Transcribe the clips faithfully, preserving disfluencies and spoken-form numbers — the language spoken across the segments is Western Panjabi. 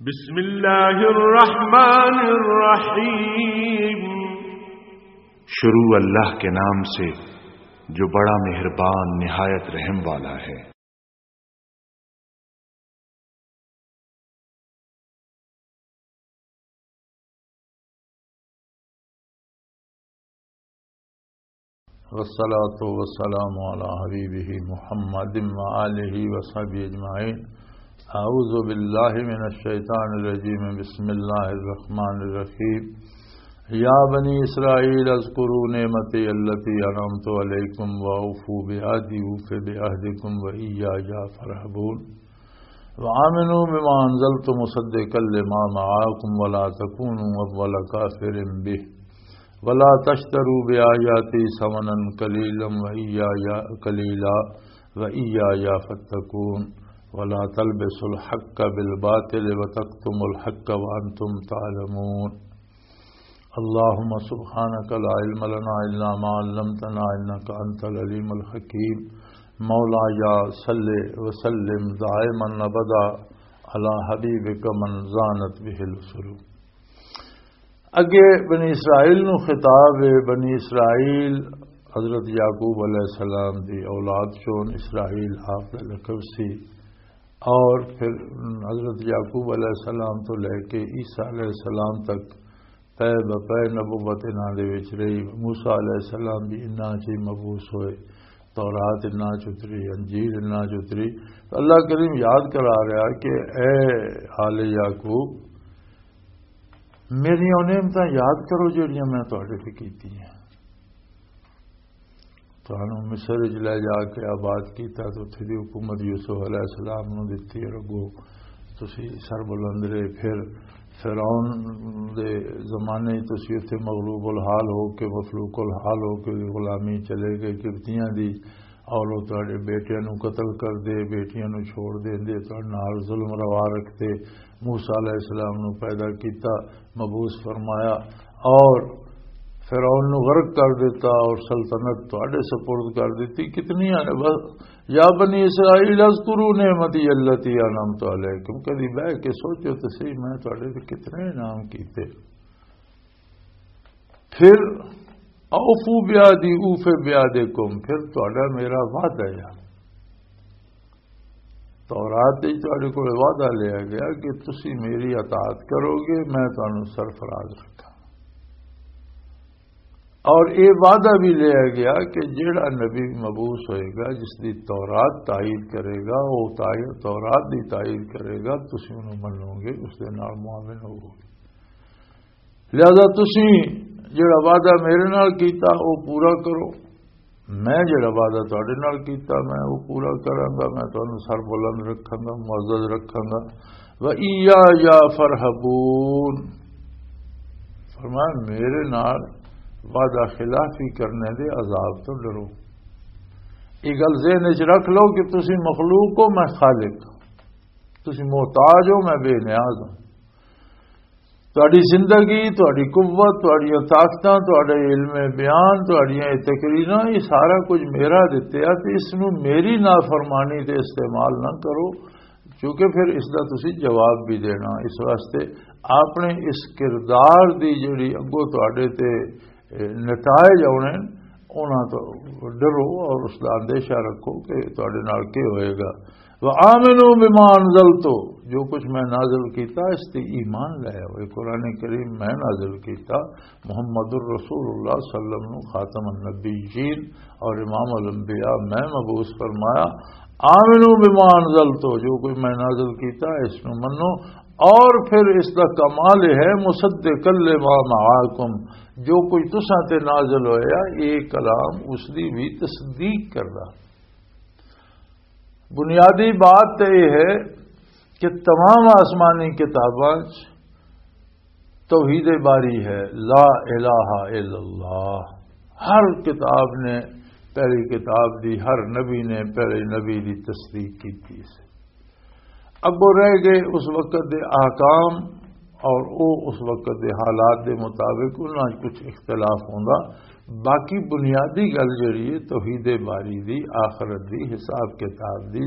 بسم اللہ الرحمن الرحیم۔ شروع اللہ کے نام سے جو بڑا مہربان نہایت رحم والا ہے۔ والصلاة والسلام على حبيبه محمد وآله وصحبه أجمعين. أعوذ بالله من الشيطان الرجيم. بسم الله الرحمن الرحيم. يا بني إسرائيل اذكروا نعمتي التي أنعمت عليكم وأوفوا بعهدي أوف بعهدكم وإياي فارهبون. وآمنوا بما أنزلت مصدقا لما معكم ولا تكونوا أول كافر به ولا تشتروا بآياتي ثمنا قليلا وإياي، قليلا وإياي فاتقون. ولا تلبسوا الحق بالباطل وتكتموا الحق وأنتم تعلمون. اللهم سبحانك لا علم لنا إلا ما علمتنا إنك أنت العليم الحكيم. مولاي صل وسلم دائما أبدا على حبيبك من زانت به العصور. اگے بنی اسرائیل نو خطاب ہے۔ بنی اسرائیل حضرت یعقوب علیہ السلام دی اولاد چون، اسرائیل آپ دا لقب سی۔ اور پھر حضرت یعقوب علیہ السلام تو لے کے عیسیٰ علیہ السلام تک پے بپے نبوت انہاں دے وچ رہی۔ موسیٰ علیہ السلام بھی انہاں چ ہی مبعوث ہوئے، تورات انہاں چ اتری، انجیل انہاں چ اتری۔ تو اللہ کریم یاد کرا رہا کہ اے آل یعقوب، میریاں او نعمتاں یاد کرو جڑیاں میں تہاڈے تے کیتی ہیں۔ تانوں مصر وچ لے جا کے آباد کیتا، تے اتھے دی حکومت یوسف علیہ السلام نوں دتی۔ اور اگوں تسی سربلند رہے۔ پھر فرعون دے زمانے وچ تسی اتھے مغلوب الحال ہو کے، مفلوق الحال ہو کے غلامی چلے گئے قبطیاں دی۔ اور وہ تہاڈے بیٹیاں نوں قتل کر دے، بیٹیاں نوں چھوڑ دیندے، تہاڈے نال ظلم روا رکھتے۔ موسیٰ علیہ السلام نوں پیدا کیتا، مبعوث فرمایا اور فرعون نوں غرق کر دیتا اور سلطنت تہاڈے سپرد کر دیتی۔ کتنی آنے بس، یا بنی اسرائیل اذکروا نعمتی التی انعمت علیکم۔ کدی بہ کے سوچو تو صحیح، میں تہاڈے تے کتنے انعام کیتے۔ پھر اوفو بیادی اوف بیادکم، پھر تہاڈا میرا وعدہ ہے۔ تورات وچ تہاڈے کول وعدہ لیا گیا کہ تسی میری اطاعت کرو گے، میں تانوں سرفراز رکھاں۔ اور یہ وعدہ بھی لیا گیا کہ جیڑا نبی مبعوث ہوئے گا، جس دی تورات تائید کرے گا، وہ تائید، تورات دی تائید کرے گا، تسی انہوں منو گے، اس دے نال معاون ہوو گے۔ لہذا تسی جڑا وعدہ میرے نال کیتا، او پورا کرو۔ میں جڑا وعدہ تہاڈے نال کیتا، میں او پورا کراں گا۔ میں تانوں سر بلند رکھاں گا، معزز رکھاں گا۔ وَإِيَّايَ فَارْهَبُونِ۔ فرمایا، میرے نال وعدہ خلافی کرنے دے عذاب تو ڈرو۔ یہ گل ذہن وچ رکھ لو کہ تسی مخلوق ہو، میں خالق ہاں۔ تسی محتاج ہو، میں بے نیاز ہوں۔ تہاڈی زندگی، تہاڈی قوت، تہاڈیاں طاقتاں، تہاڈے علم بیان، تہاڈیاں یہ تقریراں، یہ سارا کچھ میرا دتے آ، تے اس نو میری نافرمانی تے استعمال نہ کرو، کیونکہ پھر اس دا تسی جواب بھی دینا۔ اس واسطے اپنے اس کردار دی جڑی اگوں تہاڈے تے نتائج آنے، انہاں تو ڈرو اور اس دا اندیشہ رکھو کہ تہاڈے نال کی ہوئے گا۔ وآمنوا بما انزلت، جو کچھ میں نازل کیتا، اس تے ایمان لے آؤ۔ یہ قرآن کریم میں نازل کیتا، محمد الرسول اللہ صلی اللہ علیہ وسلم نو خاتم النبیین اور امام الانبیاء میں مبعوث فرمایا۔ آمنوا بما انزلت، جو کچھ میں نازل کیتا، اس نو منو۔ اور پھر اس دا کمال یہ ہے، مصدقا لما معاکم، جو کچھ تساں تے نازل ہویا، یہ کلام اس دی بھی تصدیق کردا۔ بنیادی بات تے یہ ہے کہ تمام آسمانی کتاباں چ توحید باری ہے، لا الہ الا اللہ۔ ہر کتاب نے، پہلی کتاب دی، ہر نبی نے پہلے نبی دی تصدیق کی تھی۔ اگوں رہ گئے اس وقت دے احکام اور او اس وقت دے حالات دے مطابق انہاں وچ کچھ اختلاف ہوندا۔ باقی بنیادی گل جڑی ہے توحید باری دی، آخرت دی، حساب کتاب دی،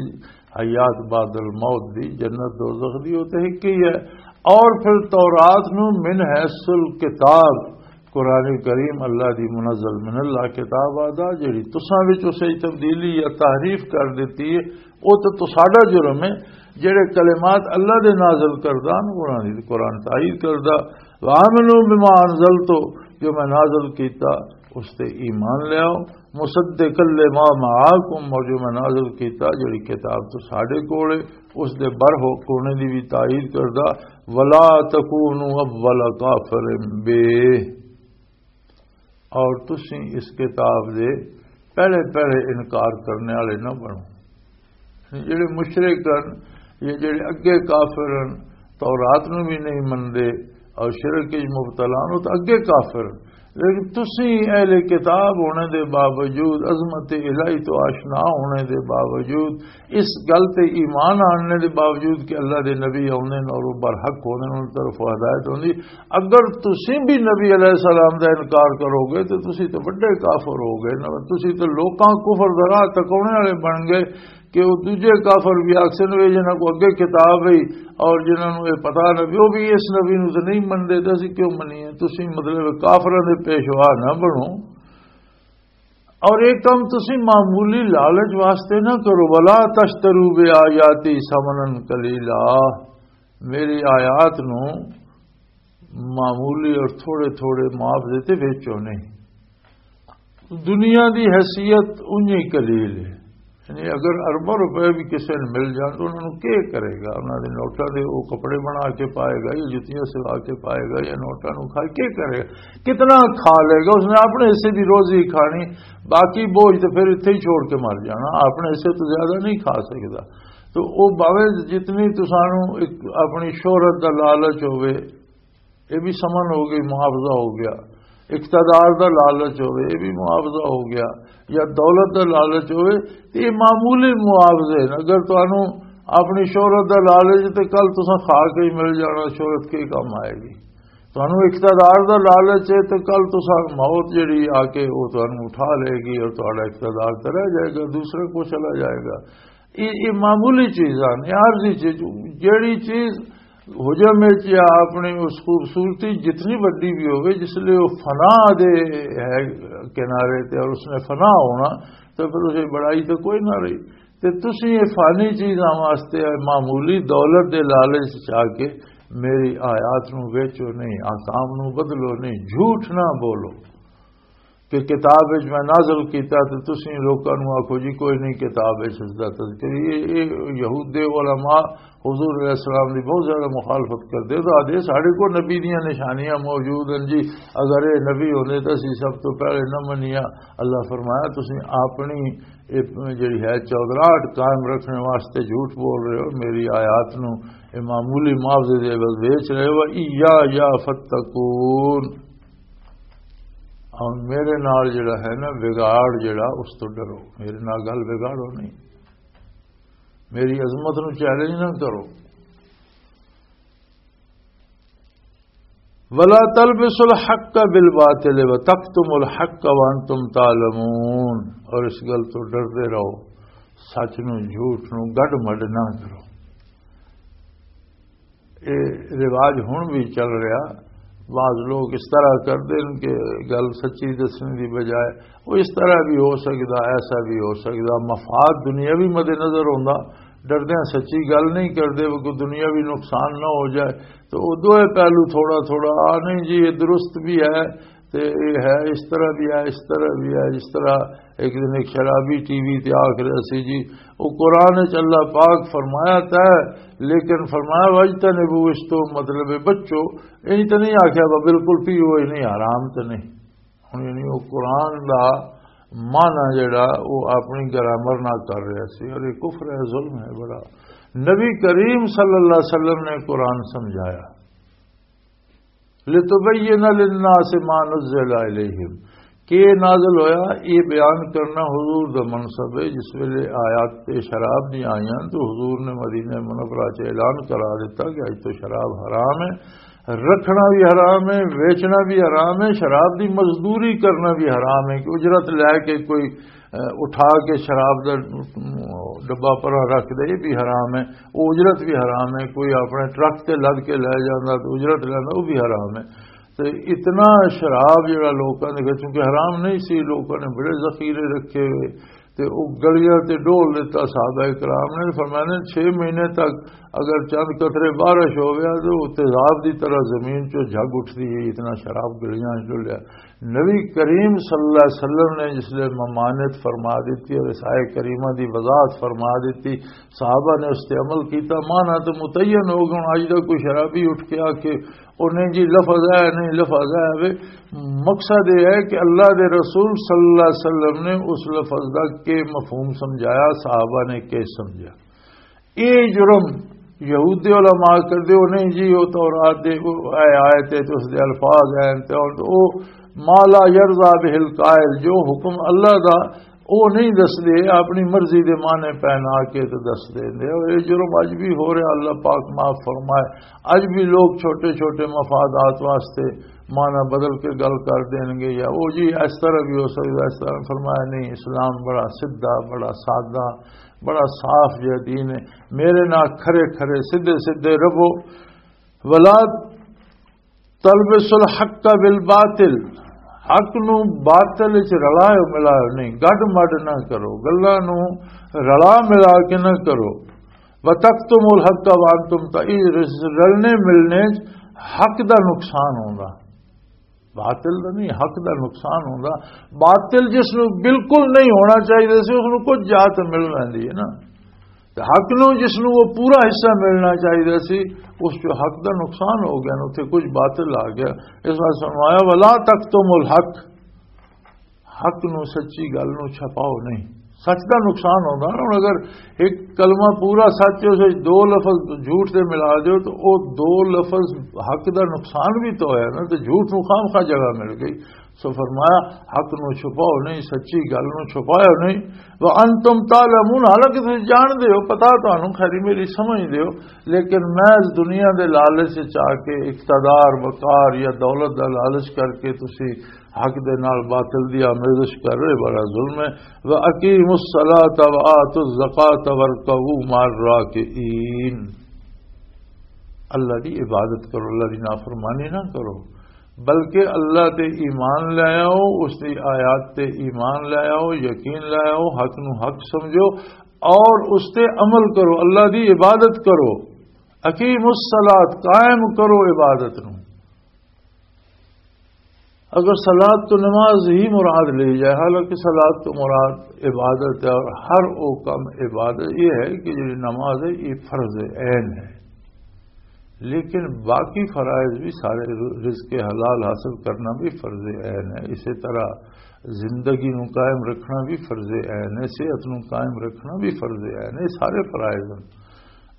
حیات بعد الموت دی، جنت دوزخ دی، او تے ہک ہی ہے۔ اور پھر تورات نو من حیث الکتاب، قرآن کریم اللہ دی منزل من اللہ کتاب آدا، جڑی تساں وچ اسے تبدیلی یا تحریف کر دتی ہے، او تے تساڈا جرم ہے۔ جڑے کلمات اللہ دے نازل کردہ ہن، انہاں دی قرآن تائید کردہ۔ وآمنوا بما انزلت، جو میں نازل کیتا، اس تے ایمان لیاؤ۔ مصدقا لما معاکم، اور جو میں نازل کیتا، جڑی کتاب تو ساڈے کول ہے، اس دے بر ہو کونے دی بھی تائید کردہ۔ ولا تکونوا اول کافر بہ، اور تسی اس کتاب دے پہلے پہلے انکار کرنے والے نہ بنو۔ جڑے مشرک ہن یا جڑے اگے کافر ہن، تورات نو بھی نہیں مندے اور شرک وچ مبتلا ہن، او تاں اگے کافر ہن۔ لیکن تسی اہل کتاب ہونے دے باوجود، عظمت الہی تو آشنا ہونے دے باوجود، اس گل تے ایمان آننے دے باوجود کہ اللہ دے نبی آندے نے اور وہ برحق ہوندے نے، انہاں طرف ہدایت ہوندی، اگر تسی بھی نبی علیہ السلام دا انکار کرو گے تو تسی تو بڑے کافر ہو گئے نا۔ تسی تو لوکاں کفر دا راہ تکونے والے بن گئے کہ وہ دوجے کافر بھی آکسن وے جنہاں کو اگے کتاب ہے اور جنہاں نوں یہ پتہ نہ بھی، وہ بھی اس نبی نوں تو نہیں منتے، تو اسی کیوں منیے؟ تسی مطلب کافراں دے پیشوا نہ بنو۔ اور ایک کم تسی معمولی لالچ واسطے نہ کرو۔ ولا تشتروا بآیاتی ثمنا قلیلا، میری آیات نو معمولی اور تھوڑے تھوڑے معاوضے تے ویچو نہیں۔ دنیا دی حیثیت اونجی قلیل ہے، یعنی اگر ارباں روپے بھی کسی نے مل جان تو انہوں نے کیا کرے گا؟ انہوں نے نوٹاں دے وہ کپڑے بنا کے پائے گا یا جتیاں سوا کے پائے گا یا نوٹاں نو کھا کے کرے گا؟ کتنا کھا لے گا؟ اس نے اپنے حصے دی روزی کھانی، باقی بوجھ تو پھر اتھے ہی چھوڑ کے مر جانا، اپنے حصے تو زیادہ نہیں کھا سکتا۔ تو وہ باوے جتنی تسانو ایک اپنی شہرت دا لالچ ہوئے، یہ بھی سمن ہو گئی، محافظہ ہو گیا۔ اقتدار دا لالچ ہوئے، یہ بھی محافظہ ہو گیا۔ یا دولت دا لالچ ہوئے، تے یہ معمولی محافظے ہیں۔ اگر تانوں اپنی شہرت دا لالچ تے کل تساں کھا کے ہی مل جانا، شہرت کے کام آئے گی؟ تانوں اقتدار دا لالچ ہے تے کل تساں موت جڑی آ کے وہ تانوں اٹھا لے گی اور تہاڈا اقتدار تے رہ جائے گا، دوسرے کو چلا جائے گا۔ یہ، یہ معمولی چیز ہے، یہ عارضی چیز۔ جیڑی چیز حجم وچ یا اپنی اس خوبصورتی جتنی وڈی بھی ہوگی، جس لئے وہ فنا دے ہے کنارے تے اور اس نے فنا ہونا، تو پھر اسے بڑائی تو کوئی نہ رہی۔ تے تسی یہ فانی چیزاں واسطے معمولی دولت دے لالچ چاہ کے میری آیات نو ویچو نہیں، آکام نو بدلو نہیں، جھوٹ نہ بولو۔ کہ کتاب وچ میں نازل کیتا تے تسی لوکاں نوں آکھو جی کوئی نہیں، کتاب وچ اس دا تذکر۔ یہ، یہ یہود دے علماء حضور علیہ السلام دی بہت زیادہ مخالفت کردے، تو آدھے ساڈے کو نبی دیاں نشانیاں موجود ہیں جی، اگر یہ نبی ہوندے تو اسی سب تو پہلے نہ منیا۔ اللہ فرمایا تسی اپنی یہ جڑی ہے چودراہٹ قائم رکھنے واسطے جھوٹ بول رہے ہو، میری آیات نو یہ معمولی معاوضے دے بس بیچ رہے ہو۔ ایا یا فتقون، اور میرے نال جڑا ہے نا بگاڑ، جڑا اس تو ڈرو، میرے نال گل بگاڑو نہیں، میری عظمت نو چیلنج نہ کرو۔ ولا تلبسوا الحق بالباطل وتکتموا الحق وانتم تعلمون، اور اس گل تو ڈردے رہو، سچ نو جھوٹ نو گڈ مڈ نہ کرو۔ یہ رواج ہن بھی چل رہا۔ بعض لوگ اس طرح کردے ہیں کہ گل سچی دسنے دی بجائے وہ اس طرح بھی ہو سکدا، ایسا بھی ہو سکدا، مفاد دنیاوی مد نظر ہوندا، ڈردیاں سچی گل نہیں کردے، وہ کوئی دنیاوی نقصان نہ ہو جائے۔ تو وہ دوئے پہلو تھوڑا تھوڑا، آ نہیں جی یہ درست بھی ہے، تے یہ ہے، اس طرح بھی ہے، اس طرح بھی ہے۔ اس طرح ایک دن ایک شرابی ٹی وی تے آکھ رہا سی جی، وہ قرآن وچ اللہ پاک فرمایا تے، لیکن فرمایا واجتنبوا، اس تو مطلب ہے بچو۔ یہ تو نہیں آکھیا وہ بالکل پیو ہی نہیں، حرام تو نہیں۔ ہن یعنی وہ قرآن دا معنی جڑا وہ اپنی گرامر نہ کر رہا سی، اور یہ کفر ہے، ظلم ہے بڑا۔ نبی کریم صلی اللہ علیہ وسلم نے قرآن سمجھایا، لتبین للناس ما نزل الیہم، کہ یہ نازل ہویا، یہ بیان کرنا حضور دا منصب ہے۔ جس ویلے آیات تے شراب دی آئیاں تو حضور نے مدینہ منورہ چ اعلان کرا دیتا کہ اج تو شراب حرام ہے، رکھنا بھی حرام ہے، ویچنا بھی حرام ہے، شراب دی مزدوری کرنا بھی حرام ہے کہ اجرت لے کے کوئی، اہ، اٹھا کے شراب دا، اہ، ڈبہ پرا رکھ دے، یہ بھی حرام ہے۔ وہ اجرت بھی حرام ہے۔ کوئی اپنے ٹرک تے لد کے لے جاندا تو اجرت لیندا، وہ بھی حرام ہے۔ تے اتنا شراب جڑا لوکاں دے وچ، کیونکہ حرام نہیں سی، لوکاں نے بڑے ذخیرے رکھے ہوئے، تے او گلیاں تے ڈول دتا۔ صحابہ کرام نے فرمایا، چھ مہینے تک اگر چند قطرے بارش ہو گیا تو وہ تیزاب دی طرح زمین چوں جھگ اٹھدی ہے، اتنا شراب گلیاں چ ڈولیا۔ نبی کریم صلی اللہ علیہ وسلم نے جس لئے ممانعت فرما دیتی اور سائے کریمہ دی وضاحت فرما دیتی، صحابہ نے اس تے عمل کیتا، مانا تے متعین ہو گئے۔ ہن اج دا کوئی شرابی اٹھ کے آ کے، "او نہیں جی، لفظ ہے، نہیں لفظ ہے"، وے مقصد یہ ہے کہ اللہ دے رسول صلی اللہ علیہ وسلم نے اس لفظ دا کے مفہوم سمجھایا، صحابہ نے کے سمجھا۔ یہ جرم یہودی علماء کردے، "او نہیں جی، وہ تورات دے، وہ اے آیت ہے تے اس دے الفاظ ہیں تے اور وہ ما لا یرضا بہ القائل"، جو حکم اللہ دا وہ نہیں دسدے، اپنی مرضی دے معنی پہنا کے تے دس دیندے۔ اور یہ جرم اج بھی ہو رہا، اللہ پاک معاف فرمائے۔ اج بھی لوگ چھوٹے چھوٹے مفادات واسطے معنی بدل کے گل کر دین گے، یا وہ جی اس طرح بھی ہو سکتا، اس طرح۔ فرمایا نہیں، اسلام بڑا سیدھا، بڑا سادہ، بڑا صاف جہا دین ہے۔ میرے نال کھرے کھرے، سیدھے سیدھے رہو۔ ولا تلبس الحق بالباطل، حق نو باطل وچ رلاؤ ملاؤ نہیں، گڈ مڈ نہ کرو، گلاں نو رلا ملا کے نہ کرو۔ وتکتموا الحق وانتم ت-، اے رس-، رلنے ملنے چ حق دا نقصان ہوندا، باطل دا نہیں، حق دا نقصان ہوندا۔ باطل جس نو بالکل نہیں ہونا چاہیے سی، اس نو کچھ جا تے مل ویندی ہے نا۔ تے حق نو جس نو وہ پورا حصہ ملنا چاہیے سی، اس چ حق دا نقصان ہو گیا، اتنے کچھ باطل آ گیا۔ اس واسطے فرمایا، "ولا تکتموا الحق"، حق نو، سچی گل نو چھپاؤ نہیں۔ سچ دا نقصان ہوندا نا۔ ہن اگر ایک کلمہ پورا سچ ہے، اس وچ دو لفظ جھوٹ دے ملا دیو، تو او دو لفظ حق دا نقصان بھی تو ہویا نا، تے جھوٹ نو خام خواہ جگہ مل گئی۔ سو فرمایا، حق نو چھپاؤ نہیں، سچی گل نو چھپایا نہیں۔ وانتم تعلمون، حالانکہ تسی جان دے ہو، پتا تانوں، خیری میری سمجھ دے ہو، لیکن محض دنیا دے لالچ چ آ کے، اقتدار، وقار یا دولت دا لالچ کر کے تسی حق دے نال باطل دی آمیزش کر رہے، بڑا ظلم ہے۔ واقیموا الصلاۃ وآتوا الزکاۃ وارکعوا مع الراکعین۔ اللہ دی عبادت کرو، اللہ دی نافرمانی نہ کرو، بلکہ اللہ تے ایمان لے آؤ، اس دی آیات تے ایمان لے آؤ، یقین لے آؤ، حق نو حق سمجھو اور اس تے عمل کرو، اللہ دی عبادت کرو۔ اقیموا الصلاۃ، قائم کرو عبادت نو۔ اگر صلاۃ تو نماز ہی مراد لی جائے، حالانکہ صلاۃ تو مراد عبادت ہے، اور ہر وہ کم عبادت یہ ہے کہ جو نماز ہے، یہ فرض عین ہے، لیکن باقی فرائض بھی سارے، رزق حلال حاصل کرنا بھی فرض عین ہے، اسی طرح زندگی نو قائم رکھنا بھی فرض عین ہے، صحت نو قائم رکھنا بھی فرض عین ہے، یہ سارے فرائض ہیں۔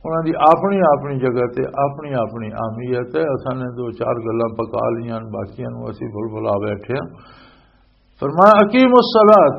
انہاں دی اپنی اپنی جگہ تے اپنی اپنی اہمیت ہے۔ اساں نے دو چار گلاں پکا لیاں، باقیاں نوں اسی بھل بھلا بیٹھے ہاں۔ فرمایا، "اقیموا الصلاۃ"،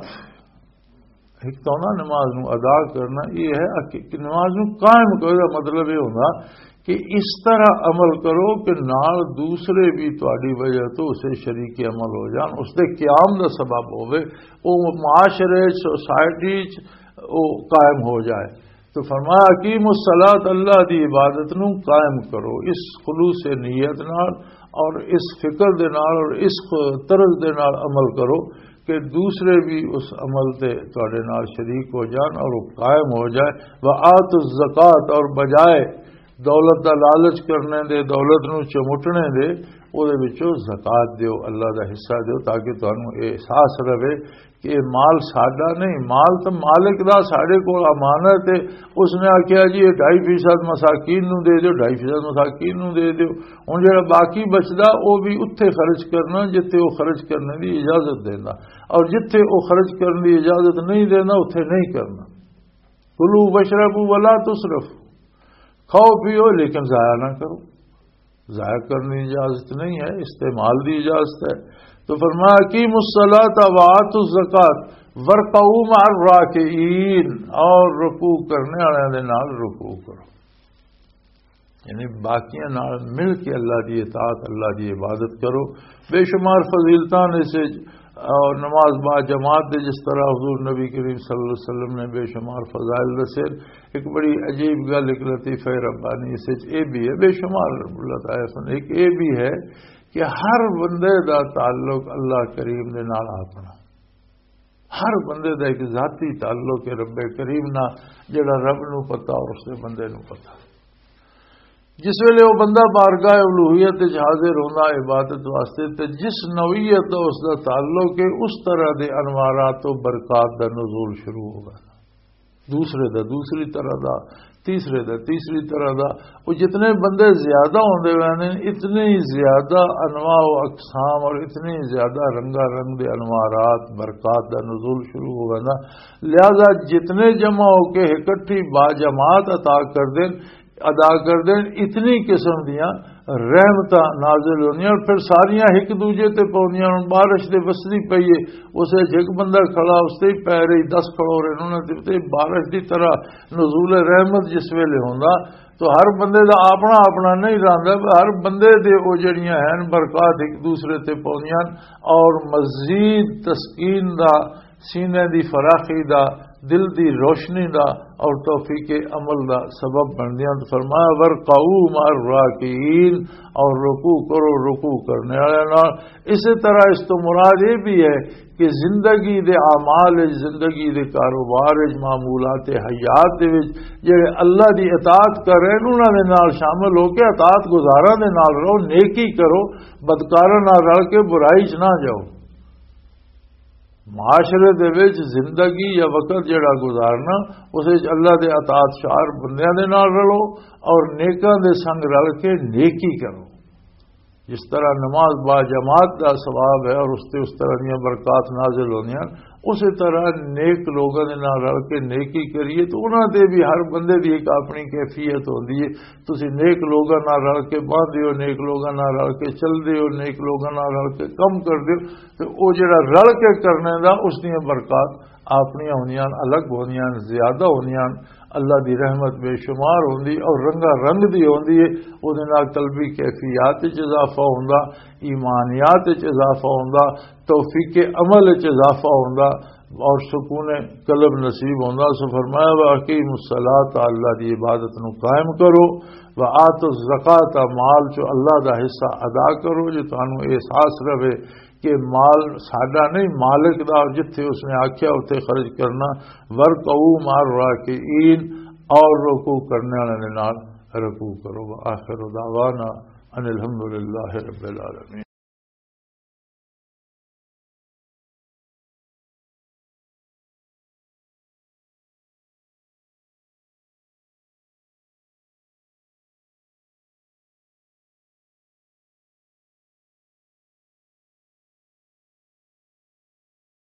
ایک تو نا نماز نوں ادا کرنا، یہ ہے اقی-، کہ نماز نوں قائم کرو۔ دا مطلب یہ ہوندا کہ اس طرح عمل کرو کہ نال دوسرے بھی تہاڈی وجہ تو اسے شریک عمل ہو جان، اس دے قیام دا سبب ہوے، وہ معاشرے، سوسائٹی چ وہ قائم ہو جائے۔ تو فرمایا، "اقیموا الصلاۃ"، اللہ دی عبادت نو قائم کرو اس خلوص نیت نال اور اس فکر دے نال اور اس طرز دے نال عمل کرو کہ دوسرے بھی اس عمل تے تواڈے نال شریک ہو جان اور وہ قائم ہو جائے۔ "وآتوا الزکاۃ"، اور بجائے دولت دا لالچ کرنے دے، دولت نو چمٹنے دے، او دے وچوں زکوٰۃ دیو، اللہ دا حصہ دیو، تاکہ تانوں اے احساس رہے کہ یہ مال ساڈا نہیں، مال تو مالک دا ساڈے کول امانت ہے۔ اس نے آکھیا، "جی، یہ ڈھائی فیصد مساکین نو دے دیو، ڈھائی فیصد مساکین نو دے دیو۔" ہن جڑا باقی بچدا، او بھی اتھے خرچ کرنا جتھے او خرچ کرنے دی اجازت دیندا، اور جتھے او خرچ کرنے دی اجازت نہیں دیندا، اتھے نہیں کرنا۔ "کلوا واشربوا ولا تسرفوا"، کھاؤ پیو لیکن ضائع نہ کرو۔ ضائع کرنے کی اجازت نہیں ہے، استعمال دی اجازت ہے۔ تو فرمایا، "اقیموا الصلاۃ وآتوا الزکاۃ وارکعوا مع الراکعین"، اور رکوع کرنے والوں دے نال رکوع کرو۔ یعنی باقیاں نال مل کے اللہ دی اطاعت، اللہ دی عبادت کرو۔ بے شمار فضیلتاں نے سے، اور نماز با جماعت دے، جس طرح حضور نبی کریم صلی اللہ علیہ وسلم نے بے شمار فضائل دسے۔ ایک بڑی عجیب گل، ایک لطیفہ ربانی اس وچ اے بھی ہے، بے شمار لطائف نے، ایک اے بھی ہے کہ ہر بندے دا تعلق اللہ کریم دے نال اپنا، ہر بندے دا ایک ذاتی تعلق ہے رب کریم نال، جڑا رب نو پتہ اور اس دے بندے نو پتہ۔ جس ویلے وہ بندہ بارگاہ الوہیت وچ حاضر ہوندا عبادت واسطے، تے جس نوعیت دا اس دا تعلق ہے، اس طرح دے انوارات و برکات دا نزول شروع ہوگا۔ دوسرے دا دوسری طرح دا، تیسرے دا تیسری طرح دا۔ وہ جتنے بندے زیادہ ہوندے ویندے نے، اتنے ہی زیادہ انواع و اقسام اور اتنے ہی زیادہ رنگا رنگ دے انوارات، برکات دا نزول شروع ہو ویندا۔ لہذا جتنے جمع ہو کے اکٹھی با جماعت عطا کر دین، ادا کر دین، اتنی قسم دیاں رحمتاں نازل ہوندیاں اور پھر ساریاں ایک دوجے تے پوندیاں۔ ہن بارش دے وسدی پئی ہے، اس وچ ایک بندہ کھڑا، اس تے ہی پے رہی، دس کھڑو رہے، انہاں دے تے بارش دی طرح نزول رحمت جس ویلے ہوندا، تو ہر بندے دا اپنا اپنا نہیں رہندا، پر ہر بندے دے او جڑیاں ہیں برکات ایک دوسرے تے پوندیاں اور مزید تسکین دا، سینے دی فراخی دا، دل دی روشنی دا اور توفیق عمل دا سبب بندیاں۔ تو فرمایا، "ورکعوا مع الراکعین"، اور رکوع کرو رکوع کرنے والے نال۔ اسی طرح اس تو مراد یہ بھی ہے کہ زندگی دے اعمال وچ، زندگی دے کاروبار وچ، معمولات حیات دے وچ جڑے اللہ دی اطاعت کر رہے ہیں، انہاں دے نال شامل ہو کے اطاعت گزاراں دے نال رہو، نیکی کرو، بدکاراں نال رل کے برائی چ نہ جاؤ۔ معاشرے دے وچ زندگی یا وقت جڑا گزارنا، اس وچ اللہ دے اطاعت شعار بندیاں دے نال رلو اور نیکاں دے سنگ رل کے نیکی کرو۔ جس طرح نماز با جماعت دا ثواب ہے اور اس تے اس طرح دیاں برکات نازل ہوندیاں، اسی طرح نیک لوگاں دے نال رل کے نیکی کریے تو انہاں تے بھی ہر بندے دی ایک اپنی کیفیت ہوندی ہے۔ تسی نیک لوگاں نال رل کے باندھے ہو، نیک لوگاں نال رل کے چلدے ہو، نیک لوگاں نال رل کے کم کردے ہو، تے او جڑا رل کے کرنے دا، اس دیاں برکات اپنیاں ہوندیاں، الگ ہوندیاں، زیادہ ہوندیاں۔ اللہ دی رحمت بے شمار ہوندی اور رنگا رنگ دی ہوندی ہے۔ او دے نال قلبی کیفیات وچ اضافہ ہوندا، ایمانیات وچ اضافہ ہوندا، توفیق عمل وچ اضافہ ہوندا اور سکون قلب نصیب ہوندا۔ سو فرمایا، "واقیم الصلاۃ"، اللہ دی عبادت نو قائم کرو، "وآتوا الزکوۃ"، مال چو اللہ دا حصہ ادا کرو، جو تانوں احساس رہے کہ مال ساڈا نہیں، مالک دا، اور جتھے اس نے آکھیا اتھے خرچ کرنا۔ "وارکعوا مع الراکعین"، اور رکوع کرنے والے دے نال رکوع کرو۔ وآخر دعوانا ان الحمد للہ رب العالمین۔